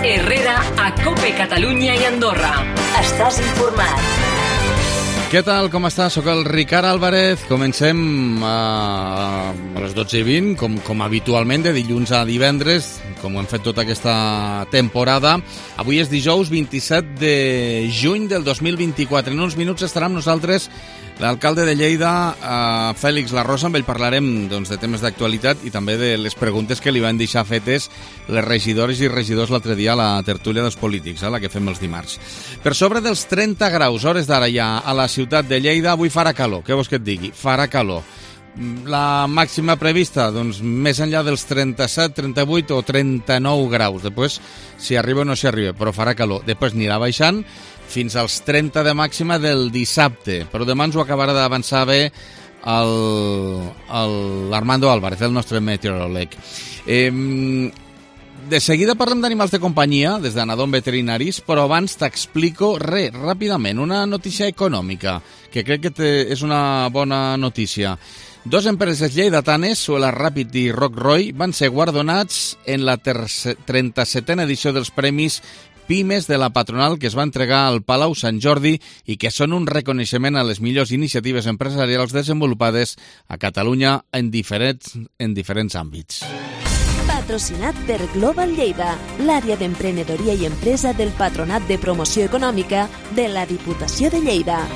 Herrera a COPE Catalunya i Andorra. Estàs informat. Què tal, com està? Soc el Ricard Álvarez. Comencem a les 12:20, com habitualment, de dilluns a divendres, com ho hem fet tota aquesta temporada. Avui és dijous 27 de juny del 2024. En uns minuts estarà amb nosaltres l'alcalde de Lleida, Fèlix Larrosa. Amb ell parlarem de temes d'actualitat i també de les preguntes que li van deixar fetes les regidores i regidors l'altre dia a la tertúlia dels polítics, la que fem els dimarts. Per sobre dels 30 graus, hores d'ara ja, a la ciutat de Lleida, avui farà calor. Què vols que et digui? Farà calor. La màxima prevista, més enllà dels 37, 38 o 39 graus. Després, si arriba o no s'hi arriba, però farà calor. Després anirà baixant fins als 30 de màxima del dissabte. Però demà ens ho acabarà d'avançar bé l'Armando Álvarez, el nostre meteoròleg. De seguida parlem d'animals de companyia, des d'Anadon Veterinaris, però abans t'explico ràpidament una notícia econòmica, que crec que és una bona notícia. Dos empreses lleidatanes, Suela Ràpid i Roc Roy, van ser guardonats en la 37a edició dels Premis Pimes de la Patronal, que es va entregar al Palau Sant Jordi i que són un reconeixement a les millors iniciatives empresarials desenvolupades a Catalunya en diferents àmbits. Patrocinat per Global Lleida, l'àrea d'emprenedoria i empresa del Patronat de Promoció Econòmica de la Diputació de Lleida.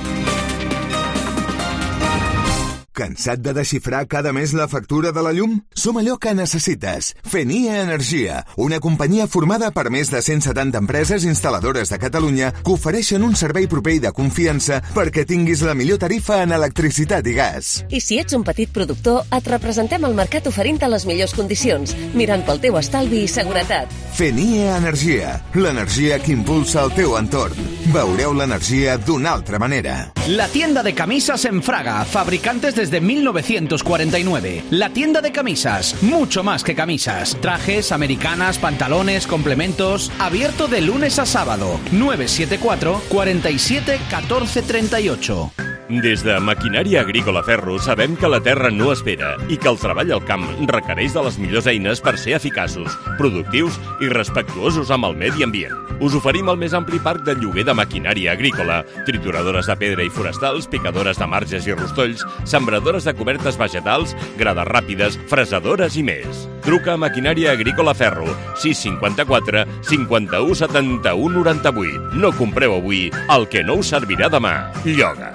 Cansat de desxifrar cada mes la factura de la llum? Som allò que necessites. Fenia Energia, una companyia formada per més de 170 empreses instal·ladores de Catalunya que ofereixen un servei proper i de confiança perquè tinguis la millor tarifa en electricitat i gas. I si ets un petit productor, et representem al mercat oferint-te les millors condicions, mirant pel teu estalvi i seguretat. Fenia Energia, l'energia que impulsa el teu entorn. Veureu l'energia d'una altra manera. La tienda de camisas en Fraga, fabricantes desde 1949. La tienda de camisas, mucho más que camisas. Trajes, americanas, pantalones, complementos. Abierto de lunes a sábado. 974 47 14 38. Des de Maquinària Agrícola Ferro sabem que la terra no espera i que el treball al camp requereix de les millors eines per ser eficaços, productius i respectuosos amb el medi ambient. Us oferim el més ampli parc de lloguer de maquinària agrícola, trituradores de pedra i forestals, picadores de marges i rostolls, sembradores de cobertes vegetals, grades ràpides, fresadores i més. Truca a Maquinària Agrícola Ferro, 654 51 71 98. No compreu avui el que no us servirà demà. Lloga.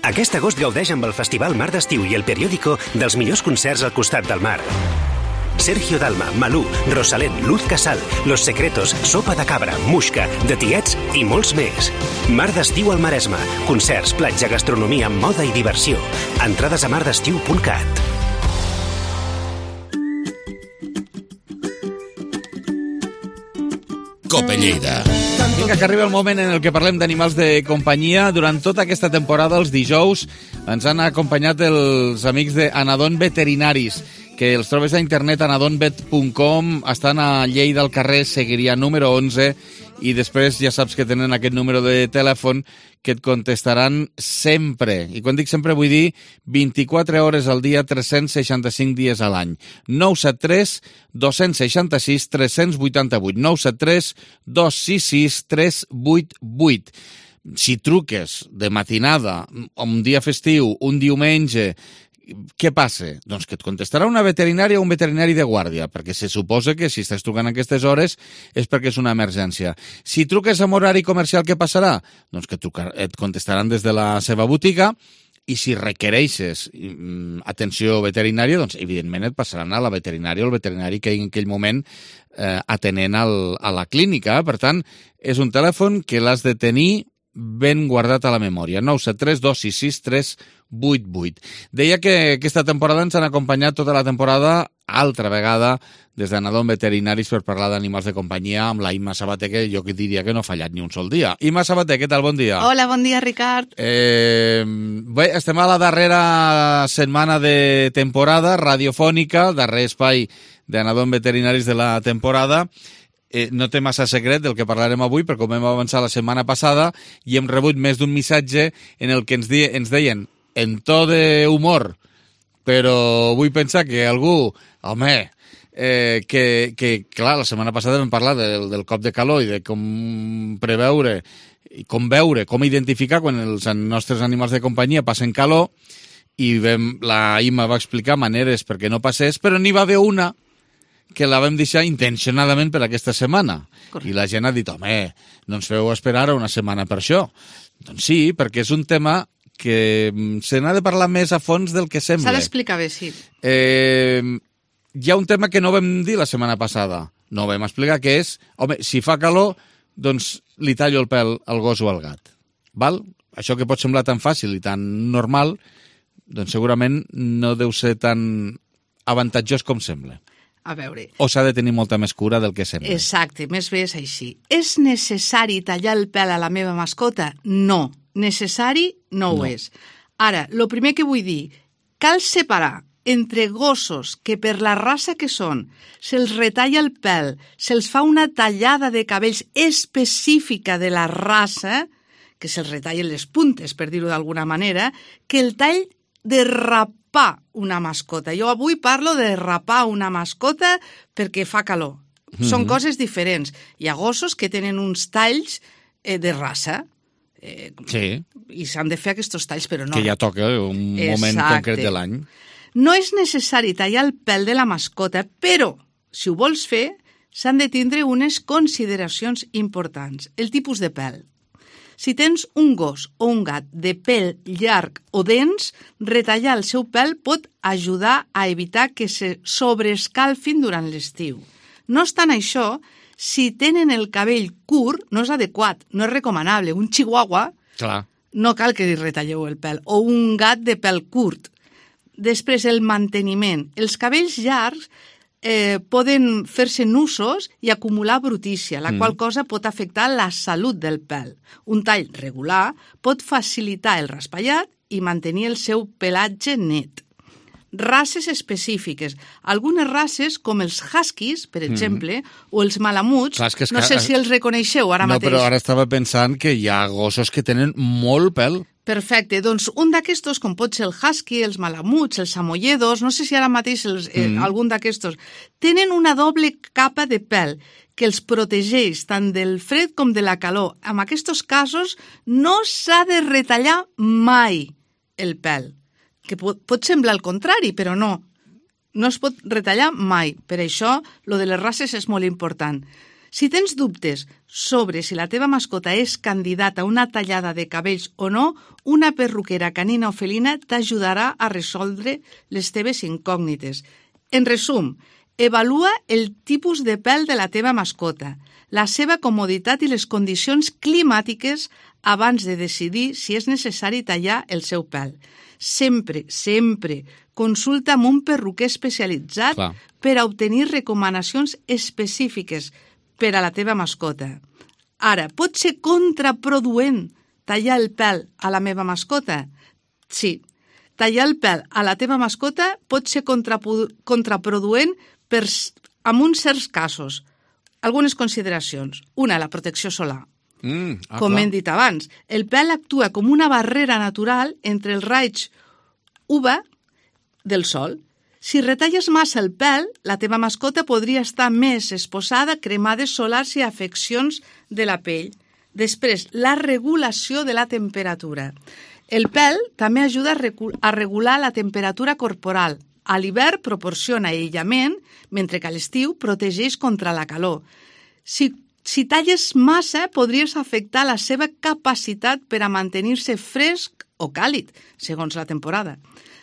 Aquest agost gaudeix amb el Festival Mar d'Estiu i el Periódico dels millors concerts al costat del mar. Sergio Dalma, Malú, Rosalén, Luz Casal, Los Secretos, Sopa de Cabra, Muixca, De Tiets i molts més. Mar d'Estiu al Maresme. Concerts, platja, gastronomia, moda i diversió. Entrades a mardestiu.cat. COPE Lleida. Vinga, que arriba el moment en el que parlem d'animals de companyia. Durant tota aquesta temporada, els dijous, ens han acompanyat els amics d'Anadon Veterinaris, que els trobes a internet, anadonvet.com, estan a Lleida, al carrer Seguiria número 11, i després ja saps que tenen aquest número de telèfon que et contestaran sempre. I quan dic sempre vull dir 24 hores al dia, 365 dies a l'any. 973 266 388. 973 266 388. Si truques de matinada, un dia festiu, un diumenge, què passa? Doncs que et contestarà una veterinària o un veterinari de guàrdia, perquè se suposa que si estàs trucant a aquestes hores és perquè és una emergència. Si truques amb horari comercial, què passarà? Doncs que et contestaran des de la seva botiga, i si requereixes atenció veterinària, doncs evidentment et passaran a la veterinària o el veterinari que en aquell moment atenent a la clínica. Per tant, és un telèfon que l'has de tenir ben guardat a la memòria. 973 266 388. Deia que aquesta temporada ens han acompanyat tota la temporada, altra vegada, des d'Anadon Veterinaris per parlar d'animals de companyia amb la Imma Sabater, que jo diria que no ha fallat ni un sol dia. Imma Sabater, què tal? Bon dia. Hola, bon dia, Ricard. Bé, estem a la darrera setmana de temporada radiofònica, darrer espai d'Anadon Veterinaris de la temporada. No té massa secret del que parlarem avui, perquè com hem avançat la setmana passada i hem rebut més d'un missatge en el que ens deien en to d'humor, però vull pensar que algú, home, clar, la setmana passada vam parlar del cop de calor i de com preveure i com veure, com identificar quan els nostres animals de companyia passen calor, i la Imma va explicar maneres perquè no passés, però n'hi va haver una que la vam deixar intencionadament per aquesta setmana. Correcte. I la gent ha dit, home, no ens feu esperar una setmana per això. Doncs sí, perquè és un tema que se n'ha de parlar més a fons del que sembla. S'ha d'explicar bé, sí. Hi ha un tema que no vam dir la setmana passada. No vam explicar, que és, home, si fa calor, doncs li tallo el pèl al gos o al gat. Val? Això que pot semblar tan fàcil i tan normal, doncs segurament no deu ser tan avantatjós com sembla. A veure... O s'ha de tenir molta més cura del que sembla. Exacte, més bé és així. És necessari tallar el pèl a la meva mascota? No. Necessari no ho és. Ara, el primer que vull dir, cal separar entre gossos que per la raça que són se'ls retalla el pèl, se'ls fa una tallada de cabells específica de la raça, que se'ls retallen les puntes, per dir-ho d'alguna manera, que el tall de rapar una mascota. Jo avui parlo de rapar una mascota perquè fa calor. Són coses diferents. Hi ha gossos que tenen uns talls de raça, sí. I s'han de fer aquests talls, però no. Que ja toca un moment concret de l'any. No és necessari tallar el pèl de la mascota, però, si ho vols fer, s'han de tindre unes consideracions importants. El tipus de pèl. Si tens un gos o un gat de pèl llarg o dens, retallar el seu pèl pot ajudar a evitar que se sobreescalfin durant l'estiu. No obstant això, si tenen el cabell curt, no és adequat, no és recomanable. Un chihuahua, clar, no cal que li retalleu el pèl, o un gat de pèl curt. Després, el manteniment. Els cabells llargs poden fer-se nusos i acumular brutícia, la qual cosa pot afectar la salut del pèl. Un tall regular pot facilitar el raspallat i mantenir el seu pelatge net. Races específiques. Algunes races, com els huskies, per exemple, o els malamuts, no sé si els reconeixeu ara mateix. No, però ara estava pensant que hi ha gossos que tenen molt pèl. Perfecte, doncs un d'aquestos, com pot ser el husky, els malamuts, els samoyedos, no sé si ara mateix algun d'aquestos, tenen una doble capa de pèl que els protegeix tant del fred com de la calor. En aquests casos no s'ha de retallar mai el pèl, que pot semblar el contrari, però no. No es pot retallar mai. Per això, lo de les races és molt important. Si tens dubtes sobre si la teva mascota és candidata a una tallada de cabells o no, una perruquera canina o felina t'ajudarà a resoldre les teves incògnites. En resum, evalua el tipus de pèl de la teva mascota, la seva comoditat i les condicions climàtiques abans de decidir si és necessari tallar el seu pèl. Sempre, sempre consulta amb un perruquer especialitzat per a obtenir recomanacions específiques per a la teva mascota. Ara, pot ser contraproduent tallar el pèl a la meva mascota? Sí, tallar el pèl a la teva mascota pot ser contraproduent en uns certs casos. Algunes consideracions. Una, la protecció solar. Com hem dit abans, el pèl actua com una barrera natural entre els raigs UV del sol. Si retalles massa el pèl, la teva mascota podria estar més exposada a cremades solars i afeccions de la pell. Després, la regulació de la temperatura. El pèl també ajuda a regular la temperatura corporal. A l'hivern proporciona aïllament, mentre que a l'estiu protegeix contra la calor. Si talles massa, podries afectar la seva capacitat per a mantenir-se fresc o càlid, segons la temporada.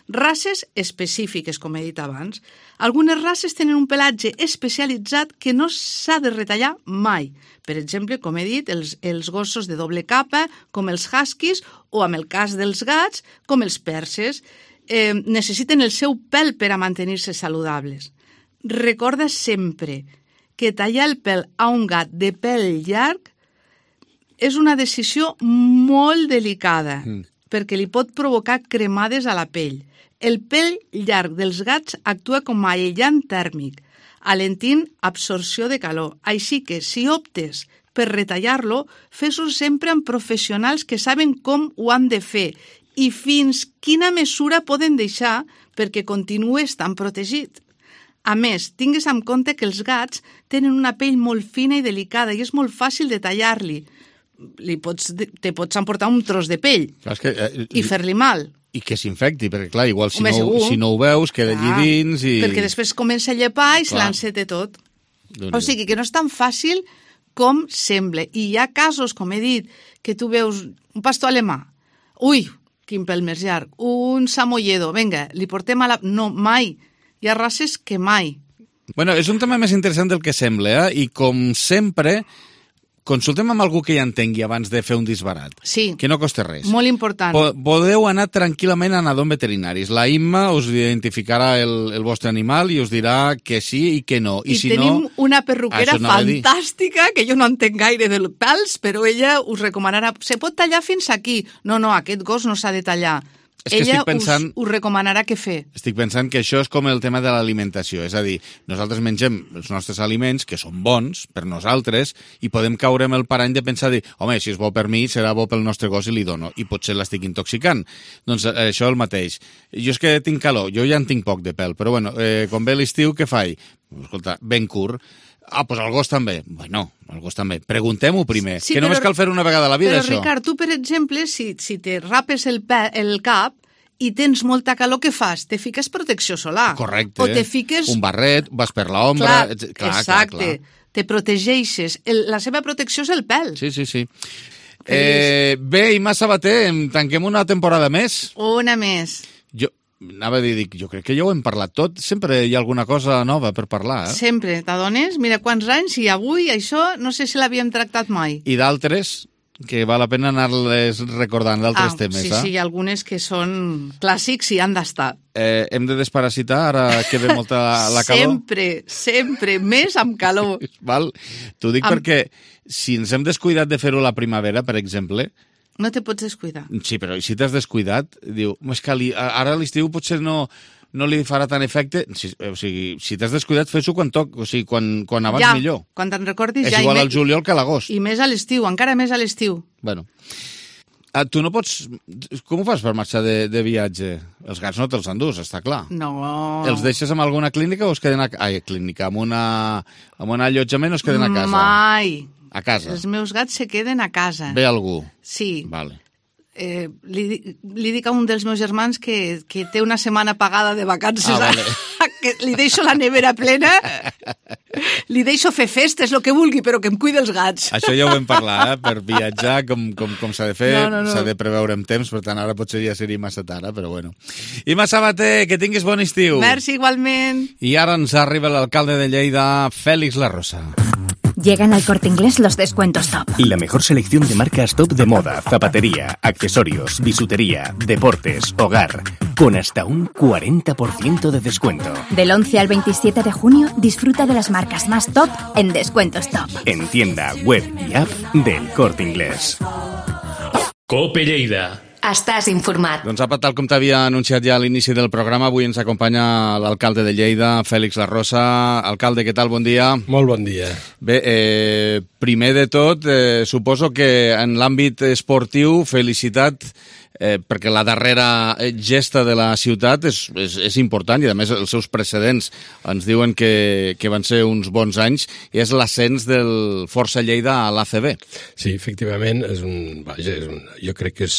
Races específiques, com he dit abans. Algunes races tenen un pelatge especialitzat que no s'ha de retallar mai. Per exemple, com he dit, els gossos de doble capa, com els huskies, o en el cas dels gats, com els perses, necessiten el seu pèl per a mantenir-se saludables. Recorda sempre que tallar el pèl a un gat de pèl llarg és una decisió molt delicada, perquè li pot provocar cremades a la pell. El pèl llarg dels gats actua com a aïllant tèrmic, alentint absorció de calor. Així que, si optes per retallar-lo, fes-ho sempre amb professionals que saben com ho han de fer i fins quina mesura poden deixar perquè continuï estant protegit. A més, tingues en compte que els gats tenen una pell molt fina i delicada i és molt fàcil de tallar-li. Te pots emportar un tros de pell i fer-li mal. I que s'infecti, perquè clar, igual si no ho veus, queda allí dins i... Perquè després comença a llepar i se l'enceta tot. O sigui que no és tan fàcil com sembla. I hi ha casos, com he dit, que tu veus un pastor alemà. Ui, quin pèl més llarg. Un samoyedo, vinga, li portem a la... No, mai. Hi ha races que mai. Bueno, és un tema més interessant del que sembla, i com sempre, consultem amb algú que ja entengui abans de fer un disbarat. Sí. Que no costa res. Molt important. Podeu anar tranquil·lament a Anadon Veterinaris. La Imma us identificarà el vostre animal i us dirà que sí i que no. I si tenim una perruquera fantàstica, que jo no entenc gaire dels pèls, però ella us recomanarà, se pot tallar fins aquí. No, aquest gos no s'ha de tallar. Ella us recomanarà què fer. Estic pensant que això és com el tema de l'alimentació. És a dir, nosaltres mengem els nostres aliments, que són bons per nosaltres, i podem caure amb el parany de pensar, home, si és bo per mi, serà bo pel nostre gos i li dono, i potser l'estic intoxicant. Doncs això el mateix. Jo és que tinc calor, jo ja en tinc poc de pèl, però bueno, quan ve l'estiu, què faig? Escolta, ben curt. Doncs el gos també. Bueno, el gos també. Preguntem-ho primer, que només cal fer una vegada a la vida, això. Però, Ricard, tu, per exemple, si te rapes el cap i tens molta calor, què fas? Te fiques protecció solar. Correcte. O te fiques... un barret, vas per l'ombra... Exacte. Te protegeixes. La seva protecció és el pèl. Sí. Bé, Imma Sabater, tanquem una temporada més. Una més. Anava a dir, jo crec que ja ho hem parlat tot. Sempre hi ha alguna cosa nova per parlar, Sempre, t'adones? Mira quants anys i avui això no sé si l'havíem tractat mai. I d'altres, que val la pena anar-les recordant, d'altres temes, Sí, hi ha algunes que són clàssics i han d'estar. Hem de desparasitar, ara que ve molta la calor? Sempre, més amb calor. Val? T'ho dic perquè si ens hem descuidat de fer-ho a la primavera, per exemple... No te pots descuidar. Sí, però si t'has descuidat, diu, és que ara a l'estiu potser no li farà tant efecte. O sigui, si t'has descuidat, fes-ho quan toc, o sigui, quan abans millor. Quan te'n recordis ja. És igual al juliol que a l'agost. I més a l'estiu, encara més a l'estiu. Bueno. Tu no pots... Com ho fas per marxar de viatge? Els gats no te'ls endús, està clar. No. Els deixes en alguna clínica o es queden clínica, amb un allotjament o es queden a casa? Mai. A casa. Els meus gats se queden a casa. Ve algú? Sí. Vale. Li dic a un dels meus germans que té una setmana pagada de vacances. Vale. Que li deixo la nevera plena, li deixo fer festes, el que vulgui, però que em cuida els gats. Això ja ho vam parlar, per viatjar, com s'ha de fer, s'ha de preveure amb temps, per tant, ara potser ja seria massa tard, però bueno. Imma Sabater, que tinguis bon estiu. Merci, igualment. I ara ens arriba l'alcalde de Lleida, Félix La Rosa. Llegan al Corte Inglés los descuentos top. La mejor selección de marcas top de moda, zapatería, accesorios, bisutería, deportes, hogar, con hasta un 40% de descuento. Del 11 al 27 de junio, disfruta de las marcas más top en descuentos top. En tienda, web y app del Corte Inglés. Cope Lleida. Estàs informat. Doncs apa, tal com t'havia anunciat ja a l'inici del programa, avui ens acompanya l'alcalde de Lleida, Félix La Rosa. Alcalde, què tal? Bon dia. Molt bon dia. Bé, primer de tot, suposo que en l'àmbit esportiu, felicitat, perquè la darrera gesta de la ciutat és important i a més els seus precedents ens diuen que van ser uns bons anys i és l'ascens del Força Lleida a l'ACB. Sí, efectivament, jo crec que és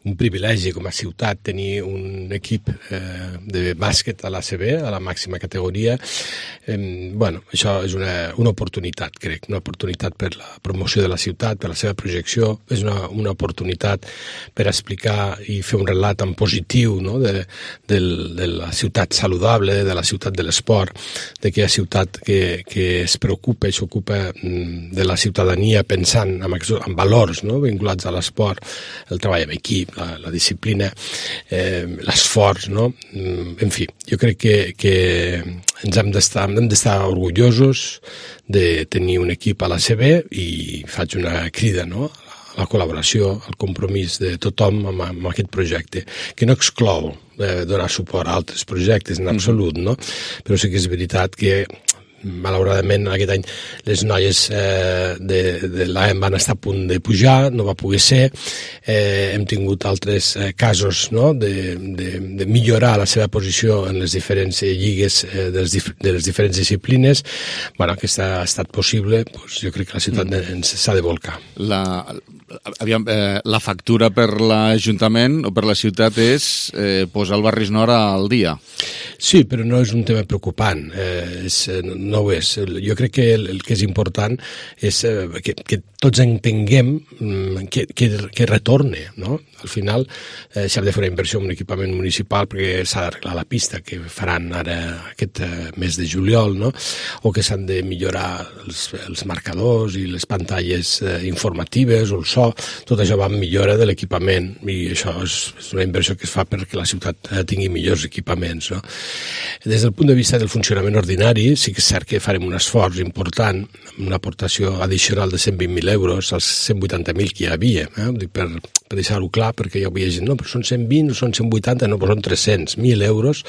un privilegi com a ciutat tenir un equip de bàsquet a l'ACB, a la màxima categoria. Això és una oportunitat, crec, una oportunitat per la promoció de la ciutat, per la seva projecció, és una oportunitat per explicar i fer un relat en positiu, no? de la ciutat saludable, de la ciutat de l'esport, d'aquella ciutat que es preocupa i s'ocupa de la ciutadania pensant en valors, no? vinculats a l'esport, el treball en equip, la disciplina, l'esforç, no? En fi, jo crec que ens hem d'estar orgullosos de tenir un equip a l'ACB i faig una crida, no? La col·laboració, el compromís de tothom amb aquest projecte, que no exclou donar suport a altres projectes en absolut, no? Però sí que és veritat que malauradament aquest any les noies de l'AEM van estar a punt de pujar, no va poder ser. Hem tingut altres casos, no?, de millorar la seva posició en les diferents lligues de les diferents disciplines. Bueno, que ha estat possible, doncs jo crec que la ciutat s'ha de volcar. La factura per l'Ajuntament o per la ciutat és posar el Barris Nord al dia. Sí, però no és un tema preocupant, no ho és. Jo crec que el que és important és que tots entenguem que retorne, no? Al final s'ha de fer una inversió en un equipament municipal perquè s'ha d'arreglar la pista que faran ara aquest mes de juliol, no? O que s'han de millorar els marcadors i les pantalles informatives o el so. Tot això va en millora de l'equipament i això és una inversió que es fa perquè la ciutat tingui millors equipaments, no? Des del punt de vista del funcionament ordinari, sí que és cert que farem un esforç important, una aportació addicional de 120.000 euros als 180.000 que hi havia, per deixar-ho clar, perquè hi havia gent, no, però són 120 o són 180, no, però són 300.000 euros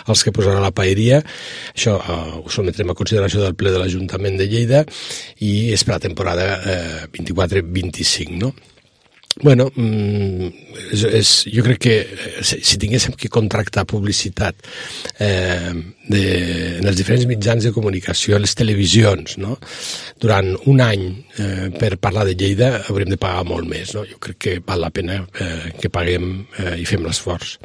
els que posarà la paeria. Això ho sometrem a consideració del ple de l'Ajuntament de Lleida i és per la temporada 24-25, no? Bueno, jo crec que si tinguéssim que contractar publicitat en els diferents mitjans de comunicació, les televisions, no?, durant un any per parlar de Lleida hauríem de pagar molt més, no? Jo crec que val la pena que paguem i fem l'esforç.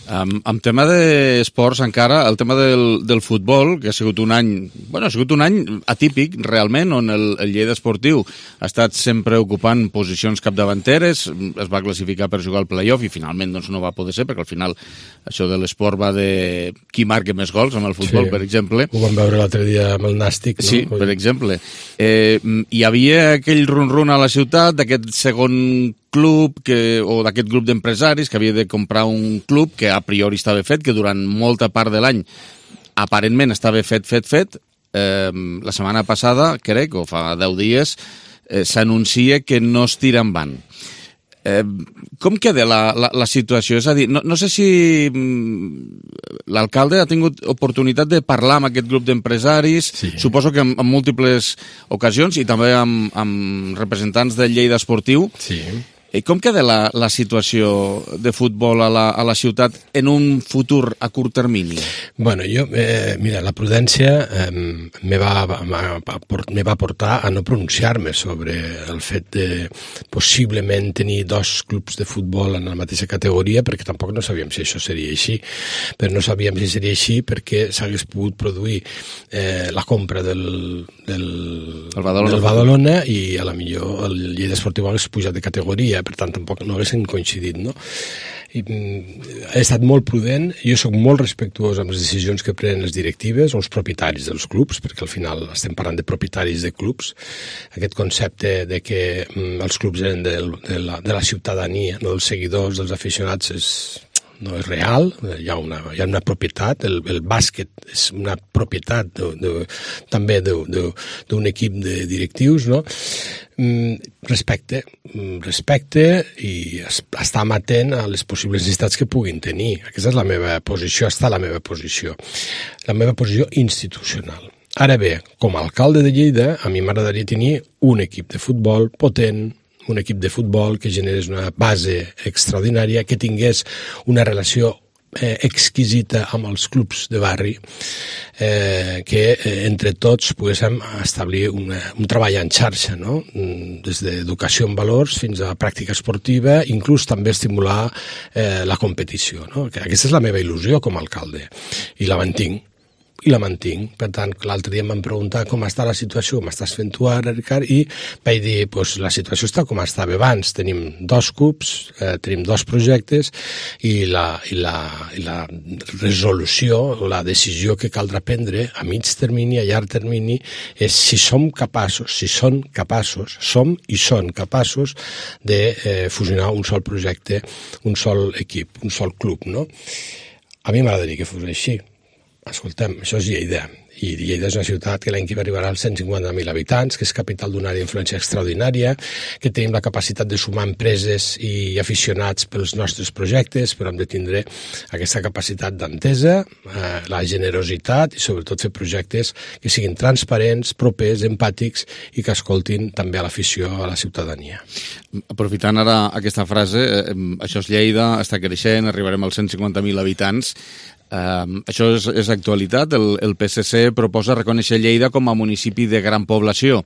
En tema d'esports encara, el tema del futbol, que ha sigut un any, bueno, ha sigut un any atípic realment, on el Lleida esportiu ha estat sempre ocupant posicions capdavanteres, es va classificar per jugar al play-off i finalment doncs, no va poder ser, perquè al final això de l'esport va de qui marca més gols amb el futbol, per exemple. Ho vam veure l'altre dia amb el Nàstic, no? Sí, per exemple. Hi havia aquell run-run a la ciutat d'aquest segon club o d'aquest grup d'empresaris que havia de comprar un club que a priori estava fet, que durant molta part de l'any aparentment estava fet. La setmana passada, crec, o fa 10 dies, s'anuncia que no es tira endavant. Com queda la situació? És a dir, no sé si l'alcalde ha tingut oportunitat de parlar amb aquest grup d'empresaris, suposo que en múltiples ocasions, i també amb representants del Lleida Esportiu. Sí. Com queda la situació de futbol a la ciutat en un futur a curt termini? Bueno, mira, la prudència me va portar a no pronunciar-me sobre el fet de possiblement tenir 2 clubs de futbol en la mateixa categoria, perquè tampoc no sabíem si això seria així. Però no sabíem si seria així perquè s'hagués pogut produir la compra del Badalona i a la millor el Lleida Esportiu hagués pujat de categoria, per tant tampoc no haguessin coincidit, no? He estat molt prudent, jo soc molt respectuós amb les decisions que prenen les directives o els propietaris dels clubs, perquè al final estem parlant de propietaris de clubs. Aquest concepte de que els clubs eren de la ciutadania, no dels seguidors, dels aficionats, no és real, hi ha una propietat, el bàsquet és una propietat també d'un equip de directius, no? Respecte i estar amatent a les possibles necessitats que puguin tenir. Aquesta és la meva posició, la meva posició institucional. Ara bé, com a alcalde de Lleida, a mi m'agradaria tenir un equip de futbol potent, un equip de futbol que generés una base extraordinària, que tingués una relació exquisita amb els clubs de barri, que entre tots poguéssim establir un treball en xarxa, no? Des d'educació en valors fins a pràctica esportiva, inclús també estimular la competició, no? Aquesta és la meva il·lusió com a alcalde i la mantinc. Per tant, l'altre dia em van preguntar com està la situació, com estàs fent tu ara, Ricard, i vaig dir, doncs la situació està com estava abans, tenim 2 clubs, tenim 2 projectes, i la resolució, la decisió que caldrà prendre a mig termini, a llarg termini, és si són capaços de fusionar un sol projecte, un sol equip, un sol club, no? A mi m'agradaria que fos així. Escolta'm, això és Lleida, I Lleida és una ciutat que l'any que arribarà als 150.000 habitants, que és capital d'una àrea d'influència extraordinària, que tenim la capacitat de sumar empreses i aficionats pels nostres projectes, però hem de tindre aquesta capacitat d'entesa, la generositat i sobretot fer projectes que siguin transparents, propers, empàtics i que escoltin també a l'afició, a la ciutadania. Aprofitant ara aquesta frase, això és Lleida, està creixent, arribarem als 150.000 habitants. Això és actualitat. El PSC proposa reconèixer Lleida com a municipi de gran població.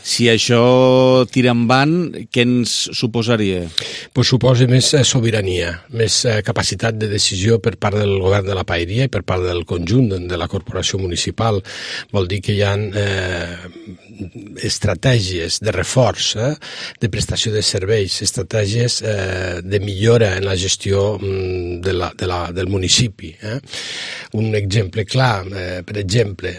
Si això tira endavant, què ens suposaria? Pues suposa més sobirania, més capacitat de decisió per part del govern de la Paeria i per part del conjunt de la corporació municipal. Vol dir que hi ha estratègies de reforç, de prestació de serveis, estratègies de millora en la gestió del municipi. Un exemple clar, per exemple,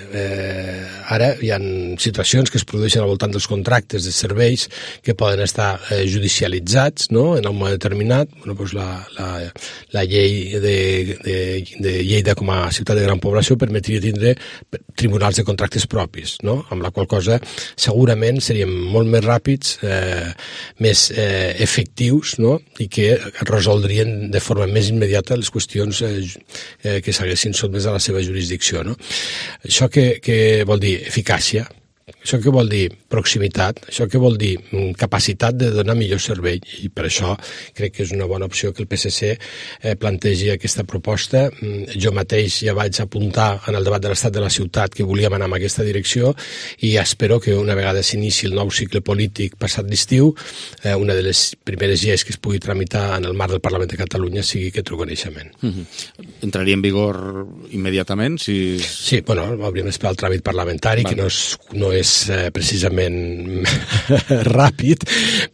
ara hi ha situacions que es produeixen al voltant dels contractes de serveis que poden estar judicialitzats, no?, en un moment determinat. Bueno, doncs la llei de Lleida com a ciutat de gran població permetria tindre tribunals de contractes propis, no?, amb la qual cosa segurament seríem molt més ràpids, més efectius, no?, i que resoldrien de forma més immediata les qüestions que s'haguessin sotmès a la seva jurisdicció, no? Això què vol dir? Eficàcia. Això què vol dir? Proximitat. Això què vol dir? Capacitat de donar millor servei. I per això crec que és una bona opció que el PSC plantegi aquesta proposta. Jo mateix ja vaig apuntar en el debat de l'estat de la ciutat que volíem anar en aquesta direcció i espero que una vegada s'inici el nou cicle polític passat l'estiu, una de les primeres lleis que es pugui tramitar en el marc del Parlament de Catalunya sigui aquest reconeixement. Entraria en vigor immediatament? Sí, bueno, hauríem d'esperar el tràmit parlamentari, que no és precisament ràpid,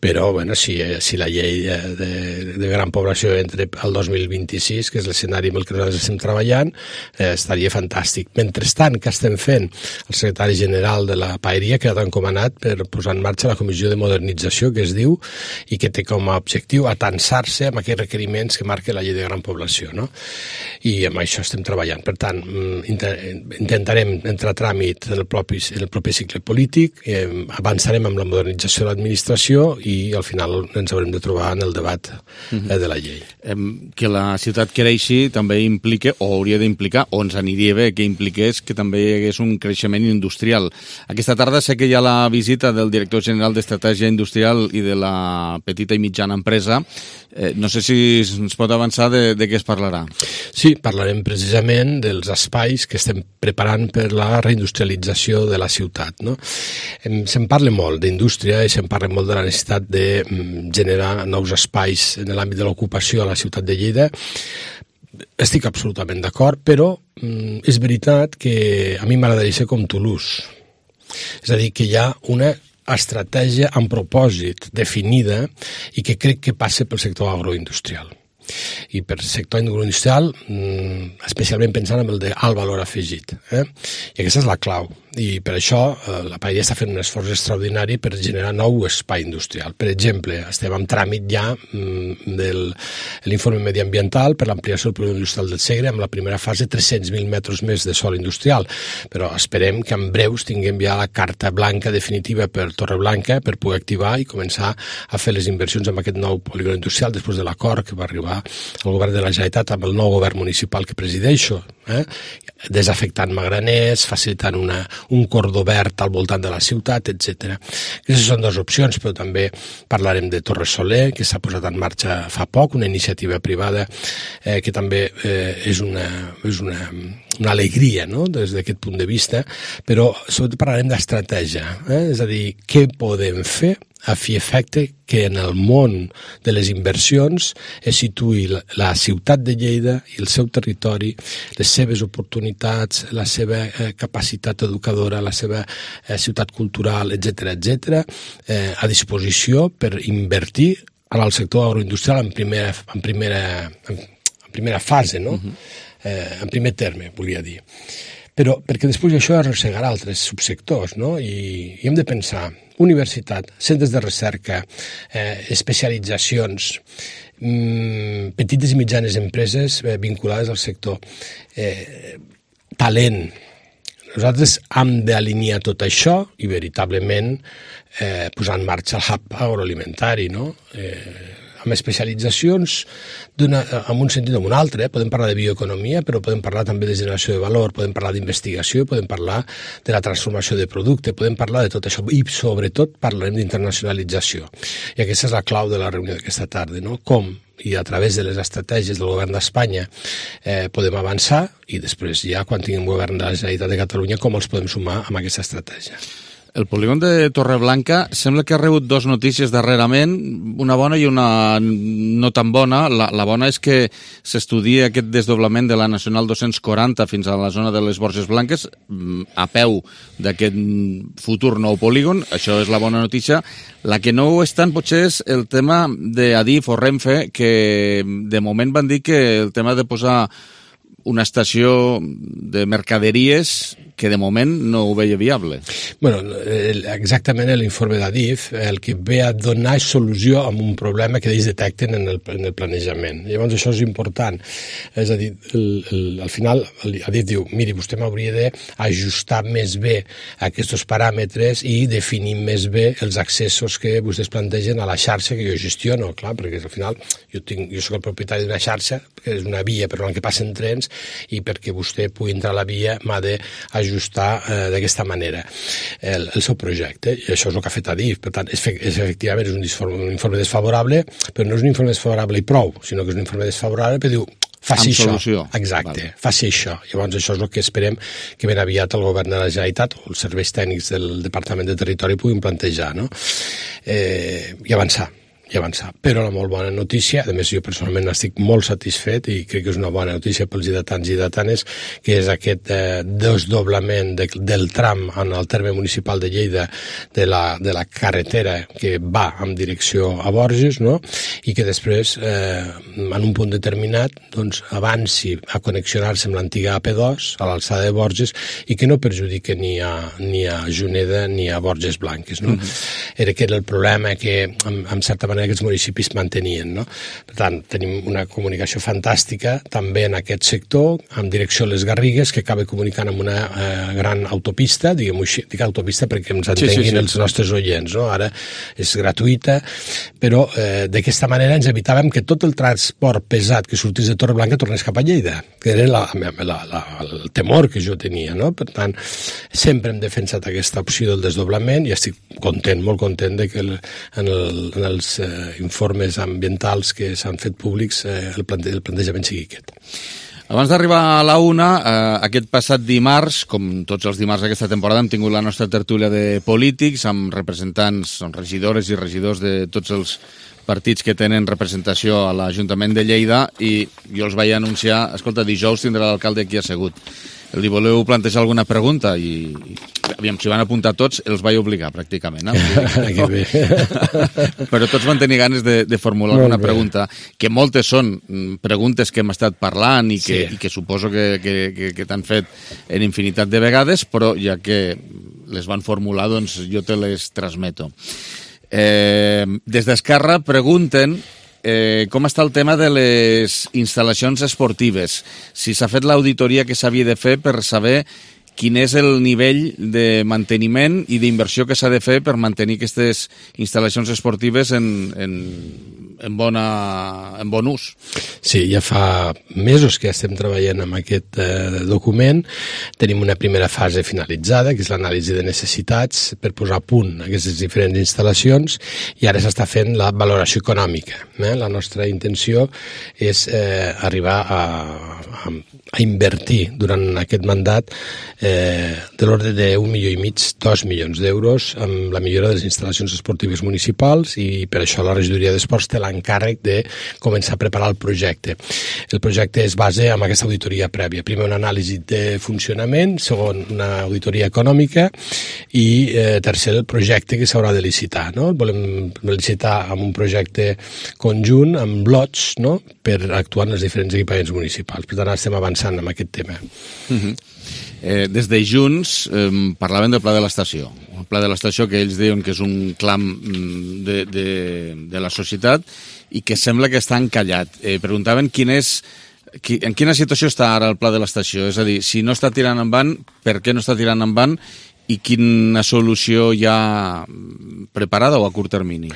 però bueno, si la llei de gran població entra al 2026, que és l'escenari amb el que nosaltres estem treballant, estaria fantàstic. Mentrestant, què estem fent? El secretari general de la Paeria ha quedat encomanat per posar en marxa la comissió de modernització, que es diu, i que té com a objectiu atansar-se amb aquells requeriments que marca la llei de gran població, no? I amb això estem treballant. Per tant, intentarem entrar a tràmit en el propi cicle polític, avançarem amb la modernització de l'administració i al final ens haurem de trobar en el debat de la llei. Que la ciutat creixi també implica, o hauria d'implicar, o ens aniria bé que impliqués que també hi hagués un creixement industrial. Aquesta tarda sé que hi ha la visita del director general d'Estratègia Industrial i de la petita i mitjana empresa. No sé si ens pot avançar de què es parlarà. Sí, parlarem precisament dels espais que estem preparant per la reindustrialització de la ciutat, no? Se'n parla molt d'indústria i se'n parla molt de la necessitat de generar nous espais en l'àmbit de l'ocupació a la ciutat de Lleida. Estic absolutament d'acord, però és veritat que a mi m'agradaria ser com Toulouse. És a dir, que hi ha una estratègia amb propòsit definida i que crec que passa pel sector agroindustrial. I per sector agroindustrial, especialment pensant en el d'alt valor afegit. I aquesta és la clau. I per això la Paeria està fent un esforç extraordinari per generar nou espai industrial. Per exemple, estem en tràmit ja de l'informe mediambiental per l'ampliació del polígon industrial del Segre, amb la primera fase 300.000 metres més de sòl industrial, però esperem que en breus tinguem ja la carta blanca definitiva per Torreblanca per poder activar i començar a fer les inversions en aquest nou polígon industrial després de l'acord que va arribar al govern de la Generalitat amb el nou govern municipal que presideixo, desafectant magraners, facilitant un cordó verd al voltant de la ciutat, etc. Aquestes són dues opcions, però també parlarem de Torre Soler, que s'ha posat en marxa fa poc, una iniciativa privada que també és una alegria, no?, des d'aquest punt de vista, però sobretot parlarem d'estratègia, és a dir, què podem fer a fi efecte que en el món de les inversions es situï la ciutat de Lleida i el seu territori, les seves oportunitats, la seva capacitat educadora, la seva ciutat cultural, etc., a disposició per invertir en el sector agroindustrial en primera fase, no? En primer terme, volia dir. Però perquè després això arrossegarà altres subsectors, no? I hem de pensar universitat, centres de recerca, especialitzacions, petites i mitjanes empreses vinculades al sector, talent. Nosaltres hem d'alinear tot això i veritablement posar en marxa el hub agroalimentari, no? Amb especialitzacions en un sentit o en un altre. Podem parlar de bioeconomia, però podem parlar també de generació de valor, podem parlar d'investigació, podem parlar de la transformació de producte, podem parlar de tot això i sobretot parlarem d'internacionalització. I aquesta és la clau de la reunió d'aquesta tarda, no? Com i a través de les estratègies del govern d'Espanya podem avançar i després ja quan tinguem govern de la Generalitat de Catalunya com els podem sumar amb aquesta estratègia. El polígon de Torreblanca sembla que ha rebut dues notícies darrerament, una bona i una no tan bona. La bona és que s'estudia aquest desdoblament de la Nacional 240 fins a la zona de les Borges Blanques a peu d'aquest futur nou polígon. Això és la bona notícia. La que no ho és tant potser és el tema d'Adif o Renfe, que de moment van dir que el tema de posar una estació de mercaderies que de moment no ho veia viable. Bueno, exactament l'informe d'Adif el que ve a donar és solució a un problema que ells detecten en el planejament. Llavors això és important. És a dir, al final Adif diu, miri, vostè m'hauria d'ajustar més bé aquests paràmetres i definir més bé els accessos que vostès plantegen a la xarxa que jo gestiono, clar, perquè al final jo soc el propietari d'una xarxa que és una via per on que passen trens i perquè vostè pugui entrar a la via m'ha d'ajustar d'aquesta manera el seu projecte, i això és el que ha fet Adif. Per tant, efectivament és un informe desfavorable, però no és un informe desfavorable i prou, sinó que és un informe desfavorable que diu faci això. Solució. Exacte, vale. Faci això. Llavors això és el que esperem que ben aviat el govern de la Generalitat o els serveis tècnics del Departament de Territori puguin plantejar, no? I avançar. Però la molt bona notícia, a més jo personalment estic molt satisfet i crec que és una bona notícia pels lleidatans i lleidatanes, que és aquest desdoblament del tram en el terme municipal de Lleida de la carretera que va en direcció a Borges, no? I que després en un punt determinat doncs, avanci a connexionar-se amb l'antiga AP2 a l'alçada de Borges i que no perjudique ni a Juneda ni a Borges Blanques, no? Era que era el problema que en certa manera aquests municipis mantenien, no? Per tant, tenim una comunicació fantàstica també en aquest sector, en direcció a les Garrigues, que acaba comunicant amb una gran autopista, diguem-ho així, dic autopista perquè ens entenguin els nostres oients, no? Ara és gratuïta, però d'aquesta manera ens evitàvem que tot el transport pesat que sortís de Torreblanca tornés cap a Lleida, que era el temor que jo tenia, no? Per tant, sempre hem defensat aquesta opció del desdoblament i estic content, molt content de que en els informes ambientals que s'han fet públics el plantejament sigui aquest. Abans d'arribar a la una, aquest passat dimarts, com tots els dimarts d'aquesta temporada, hem tingut la nostra tertúlia de polítics amb representants, regidores i regidors de tots els partits que tenen representació a l'Ajuntament de Lleida i jo els vaig anunciar, escolta, dijous tindrà l'alcalde aquí assegut. Li voleu plantejar alguna pregunta? I aviam, si van apuntar tots, els vaig obligar, pràcticament. Però tots van tenir ganes de formular alguna pregunta, que moltes són preguntes que hem estat parlant i que suposo que t'han fet en infinitat de vegades, però ja que les van formular, doncs jo te les transmeto. Des d'Esquerra pregunten com està el tema de les instal·lacions esportives, si s'ha fet l'auditoria que s'havia de fer per saber quin és el nivell de manteniment i d'inversió que s'ha de fer per mantenir aquestes instal·lacions esportives en bon ús. Sí, ja fa mesos que estem treballant amb aquest document. Tenim una primera fase finalitzada, que és l'anàlisi de necessitats per posar a punt aquestes diferents instal·lacions, i ara s'està fent la valoració econòmica. La nostra intenció és arribar a invertir durant aquest mandat de l'ordre d'1,5 milió, 2 milions d'euros amb la millora de les instal·lacions esportives municipals, i per això la regidoria d'Esports té l'encàrrec de començar a preparar el projecte. El projecte es basa en aquesta auditoria prèvia. Primer una anàlisi de funcionament, segon una auditoria econòmica i tercer el projecte que s'haurà de licitar. No? Volem licitar amb un projecte conjunt, amb lots, no? Per actuar en els diferents equipaments municipals. Per tant, estem avançant en aquest tema. Des de Junts parlaven del Pla de l'Estació. El Pla de l'Estació que ells diuen que és un clam de la societat i que sembla que està encallat. Preguntaven quin és En quina situació està ara el pla de l'estació? És a dir, si no està tirant endavant, per què no està tirant endavant i quina solució hi ha preparada o a curt termini?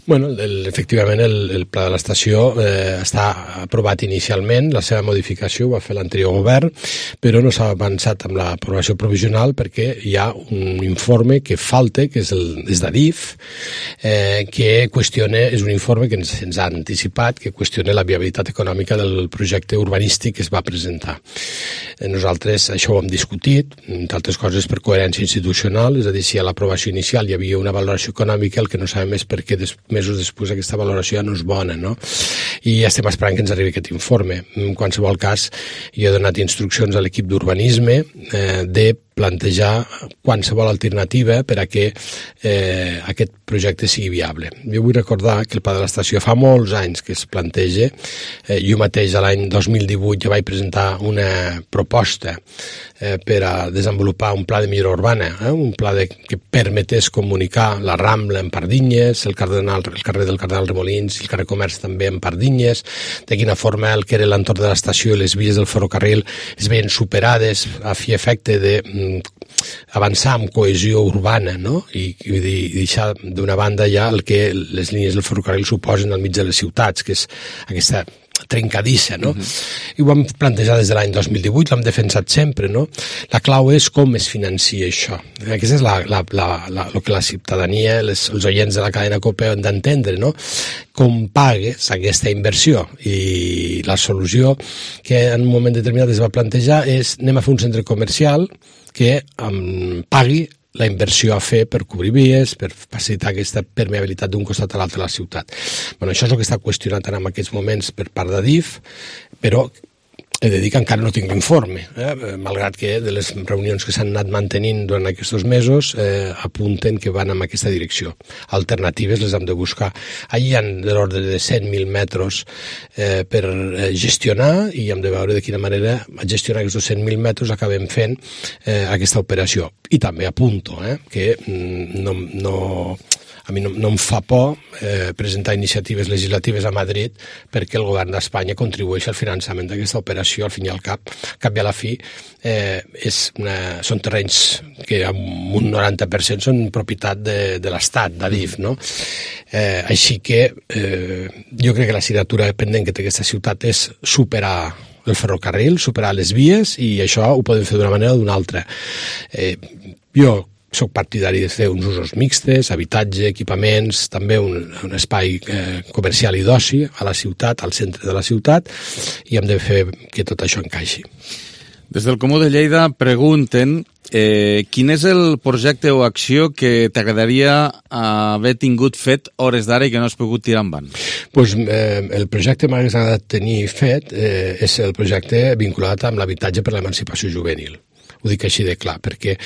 Bueno, efectivament el pla de l'estació està aprovat inicialment, la seva modificació ho va fer l'anterior govern, però no s'ha avançat amb l'aprovació provisional perquè hi ha un informe que falta, que és d'Adif, que qüestiona, és un informe que ens ha anticipat, que qüestiona la viabilitat econòmica del projecte urbanístic que es va presentar. Nosaltres això ho hem discutit, entre altres coses per coherència institucional, és a dir, si a l'aprovació inicial hi havia una valoració econòmica, el que no sabem és per què mesos després aquesta valoració ja no és bona, no? I estem esperant que ens arribi aquest informe. En qualsevol cas, jo he donat instruccions a l'equip d'urbanisme de plantejar qualsevol alternativa per a que aquest projecte sigui viable. Jo vull recordar que el pla de l'estació fa molts anys que es planteja. Jo mateix l'any 2018 ja vaig presentar una proposta per a desenvolupar un pla de millora urbana, un pla que permetés comunicar la Rambla en Pardinyes, el carrer del Cardenal Remolins i el carrer Comerç també en Pardinyes, de quina forma el que era l'entorn de l'estació i les vies del ferrocarril es veien superades a fi efecte de avançar amb cohesió urbana, no? I deixar d'una banda ja el que les línies del ferrocarril suposen al mig de les ciutats, que és aquesta trencadissa, no? I ho vam plantejar des de l'any 2018, l'hem defensat sempre, no? La clau és com es financia això. Aquesta és el que la ciutadania, els oients de la cadena COPE han d'entendre, no? Com pagues aquesta inversió. I la solució que en un moment determinat es va plantejar és anem a fer un centre comercial que pagui la inversió a fer per cobrir vies, per facilitar aquesta permeabilitat d'un costat a l'altre de la ciutat. Bueno, això és el que està qüestionat en aquests moments per part d'Adif, però he de dir que encara no tinc l'informe, malgrat que de les reunions que s'han anat mantenint durant aquests mesos apunten que van en aquesta direcció. Alternatives les hem de buscar. Allí hi ha de l'ordre de 100.000 metres per gestionar i hem de veure de quina manera gestionar aquests 100.000 metres acabem fent aquesta operació. I també apunto que a mi no em fa por presentar iniciatives legislatives a Madrid perquè el govern d'Espanya contribueixi al finançament d'aquesta operació. Al fin i al cap i a la fi, són terrenys que amb un 90% són propietat de l'Estat, d'Adif, no? Així que jo crec que l'assignatura pendent que té aquesta ciutat és superar el ferrocarril, superar les vies, i això ho podem fer d'una manera o d'una altra. Jo soc partidari de fer uns usos mixtes, habitatge, equipaments, també un espai comercial i d'oci a la ciutat, al centre de la ciutat, i hem de fer que tot això encaixi. Des del Comú de Lleida pregunten quin és el projecte o acció que t'agradaria haver tingut fet hores d'ara i que no has pogut tirar endavant? Pues, el projecte que m'hagués agradat tenir fet és el projecte vinculat amb l'habitatge per l'emancipació juvenil. Ho dic així de clar, perquè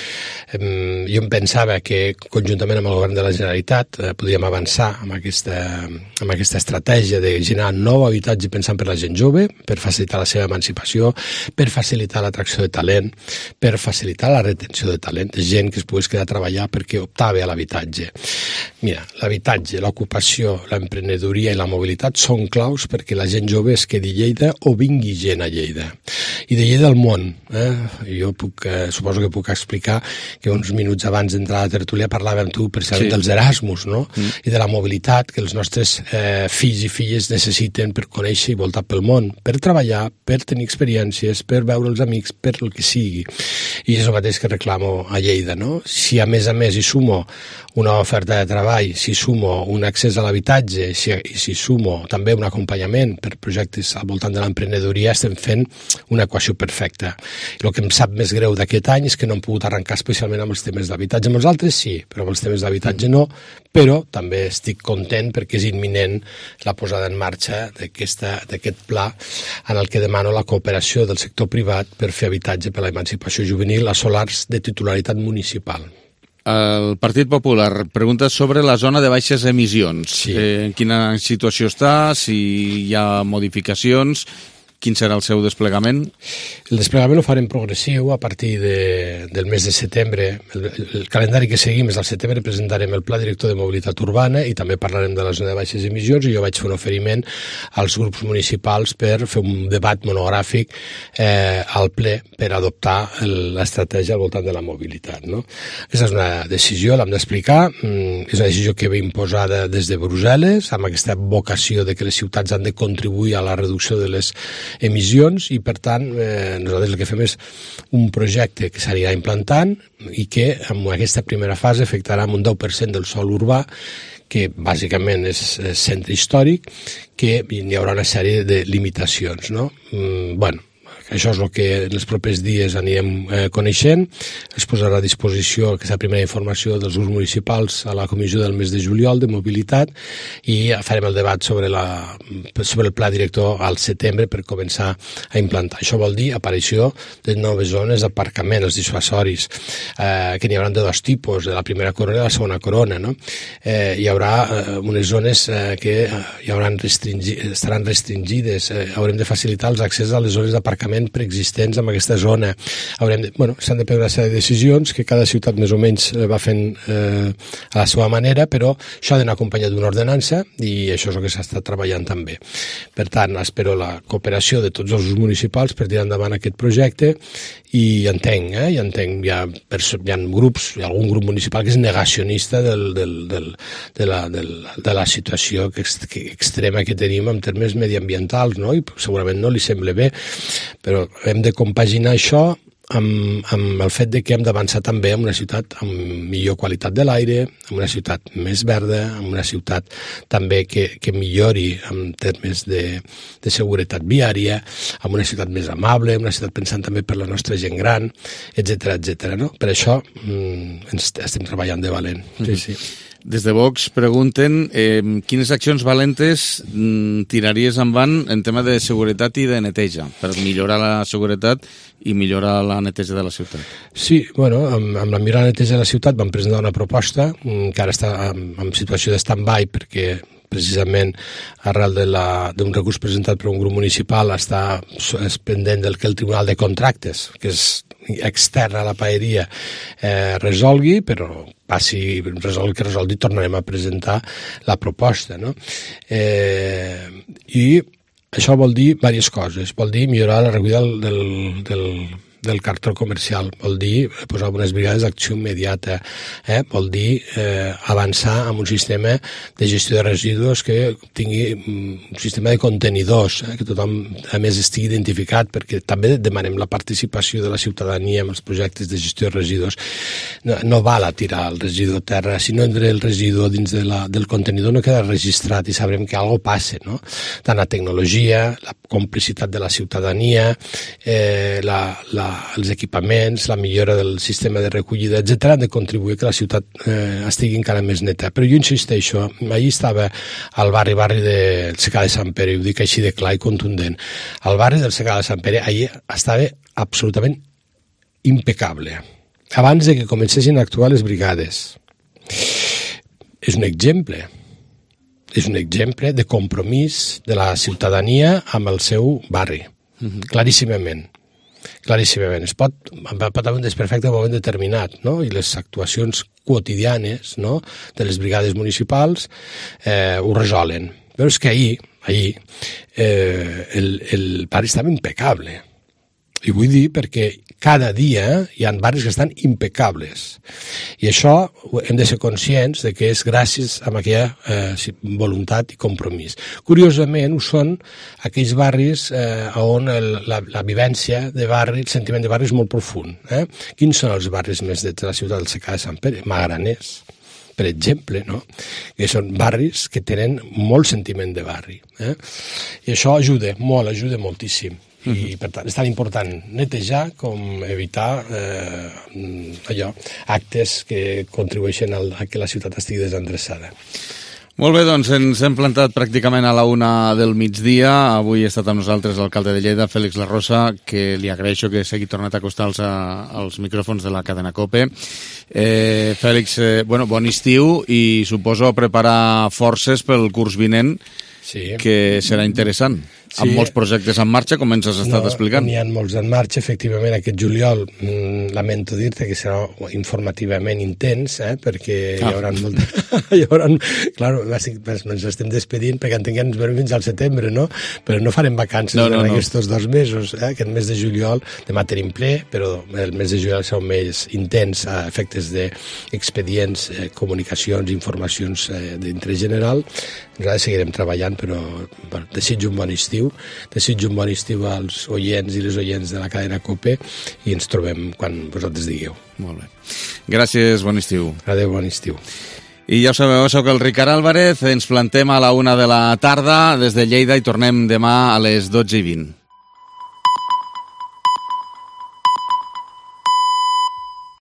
jo em pensava que conjuntament amb el govern de la Generalitat podíem avançar amb aquesta estratègia de generar nou habitatge pensant per la gent jove, per facilitar la seva emancipació, per facilitar l'atracció de talent, per facilitar la retenció de talent, de gent que es pogués quedar a treballar perquè optava a l'habitatge. Mira, l'habitatge, l'ocupació, l'emprenedoria i la mobilitat són claus perquè la gent jove es quedi a Lleida o vingui gent a Lleida. I de Lleida al món. Jo suposo que puc explicar que uns minuts abans d'entrar a la tertúlia parlàvem amb tu precisament dels Erasmus, no? I de la mobilitat que els nostres fills i filles necessiten per conèixer i voltar pel món, per treballar, per tenir experiències, per veure els amics, per el que sigui. I és el mateix que reclamo a Lleida, no? Si a més hi sumo una oferta de treball, si sumo un accés a l'habitatge, si sumo també un acompanyament per projectes al voltant de l'emprenedoria, estem fent una equació perfecta. El que em sap més greu d'aquest any és que no hem pogut arrencar especialment amb els temes d'habitatge. Amb els altres sí, però amb els temes d'habitatge no, però també estic content perquè és imminent la posada en marxa d'aquest pla en el que demano la cooperació del sector privat per fer habitatge per la emancipació juvenil a solars de titularitat municipal. El Partit Popular pregunta sobre la zona de baixes emissions. En quina situació està, si hi ha modificacions quin serà el seu desplegament? El desplegament ho farem progressiu a partir del mes de setembre. El calendari que seguim és al setembre, presentarem el Pla Director de Mobilitat Urbana i també parlarem de la zona de baixes emissions, i jo vaig fer un oferiment als grups municipals per fer un debat monogràfic al ple per adoptar l'estratègia al voltant de la mobilitat. No? Aquesta és una decisió, l'hem d'explicar, és una decisió que ve imposada des de Brussel·les, amb aquesta vocació de que les ciutats han de contribuir a la reducció de les emissions, i per tant nosaltres el que fem és un projecte que s'anirà implantant i que en aquesta primera fase afectarà un 10% del sòl urbà, que bàsicament és centre històric, que hi haurà una sèrie de limitacions, no? Això és el que en els propers dies anirem coneixent. Es posarà a disposició aquesta primera informació dels grups municipals a la comissió del mes de juliol de mobilitat, i farem el debat sobre el pla director al setembre per començar a implantar. Això vol dir aparició de noves zones d'aparcament, els dissuasoris, que n'hi haurà de dos tipus, de la primera corona i la segona corona. No? Hi haurà unes zones que estaran restringides. Haurem de facilitar els accessos a les zones d'aparcament preexistents en aquesta zona. S'han de prendre una sèrie de decisions que cada ciutat més o menys va fent a la seva manera, però això ha d'anar acompanyat d'una ordenança, i això és el que s'ha estat treballant també. Per tant, espero la cooperació de tots els municipals per tirar endavant aquest projecte, i entenc, hi ha grups, hi ha algun grup municipal que és negacionista de la situació extrema que tenim en termes mediambientals, no? I segurament no li sembla bé, però hem de compaginar això amb el fet de que hem d'avançar també en una ciutat amb millor qualitat de l'aire, en una ciutat més verda, en una ciutat també que millori en termes de seguretat viària, en una ciutat més amable, en una ciutat pensant també per la nostra gent gran, etc. No? Per això estem treballant de valent. Sí. Des de Vox pregunten quines accions valentes tiraries endavant en tema de seguretat i de neteja per millorar la seguretat i millorar la neteja de la ciutat. Sí, amb la millora de la neteja de la ciutat vam presentar una proposta que ara està en situació de stand-by, perquè precisament arrel d'un recurs presentat per un grup municipal és pendent del que el Tribunal de Contractes, que és extern a la paeria, resolgui, però resolgui que resolgui, tornarem a presentar la proposta. No? I això vol dir diverses coses. Vol dir millorar la recollida del cartró comercial, vol dir posar unes brigades d'acció immediata, vol dir avançar amb un sistema de gestió de residus que tingui un sistema de contenidors, que tothom a més estigui identificat, perquè també demanem la participació de la ciutadania en els projectes de gestió de residus. No val a tirar el residu a terra, si no entra el residu dins del contenidor no queda registrat i sabrem que alguna cosa passa, no? Tant la tecnologia, la complicitat de la ciutadania, els equipaments, la millora del sistema de recollida, etc., han de contribuir que la ciutat estigui encara més neta. Però jo insisteixo, ahir estava al barri del Secà de Sant Pere, i ho dic així de clar i contundent. El barri del Secà de Sant Pere ahir estava absolutament impecable, abans de que comencessin a actuar les brigades. És un exemple de compromís de la ciutadania amb el seu barri, claríssimament. Es pot haver un desperfecte en un moment determinat, no? I les actuacions quotidianes, no?, de les brigades municipals ho resolen. Però és que ahir el barri estava impecable. I vull dir perquè cada dia hi ha barris que estan impecables. I això hem de ser conscients de que és gràcies a aquella voluntat i compromís. Curiosament, ho són aquells barris on la vivència de barri, el sentiment de barri és molt profund. Quins són els barris més de la ciutat del Secà de Sant Pere? Magraners, per exemple, no? Que són barris que tenen molt sentiment de barri. I això ajuda moltíssim. I per tant és tan important netejar com evitar actes que contribueixen a que la ciutat estigui desendreçada. Molt bé, doncs ens hem plantat pràcticament a la 1 del migdia. Avui ha estat amb nosaltres l'alcalde de Lleida, Félix Larrosa, que li agraeixo que s'hagi tornat a acostar als micròfons de la cadena COPE. Fèlix, bon estiu i suposo preparar forces pel curs vinent, que serà interessant. amb molts projectes en marxa, com ens has estat explicant. N'hi ha molts en marxa, efectivament. Aquest juliol, lamento dir-te que serà informativament intens, perquè hi haurà ens estem despedint perquè entenc que ens veurem fins al setembre, no? Però no farem vacances en aquests 2 mesos. Aquest mes de juliol, demà tenim ple, però el mes de juliol serà un mes intens a efectes d'expedients, comunicacions, informacions d'interès general. Nosaltres seguirem treballant, però desitjo un bon estiu als oients i les oients de la cadena COPE i ens trobem quan vosaltres digueu. Molt bé. Gràcies, bon estiu. Adéu, bon estiu. I ja ho sabeu, soc el Ricard Álvarez, ens plantem a la 1 de la tarda des de Lleida i tornem demà a les 12:20.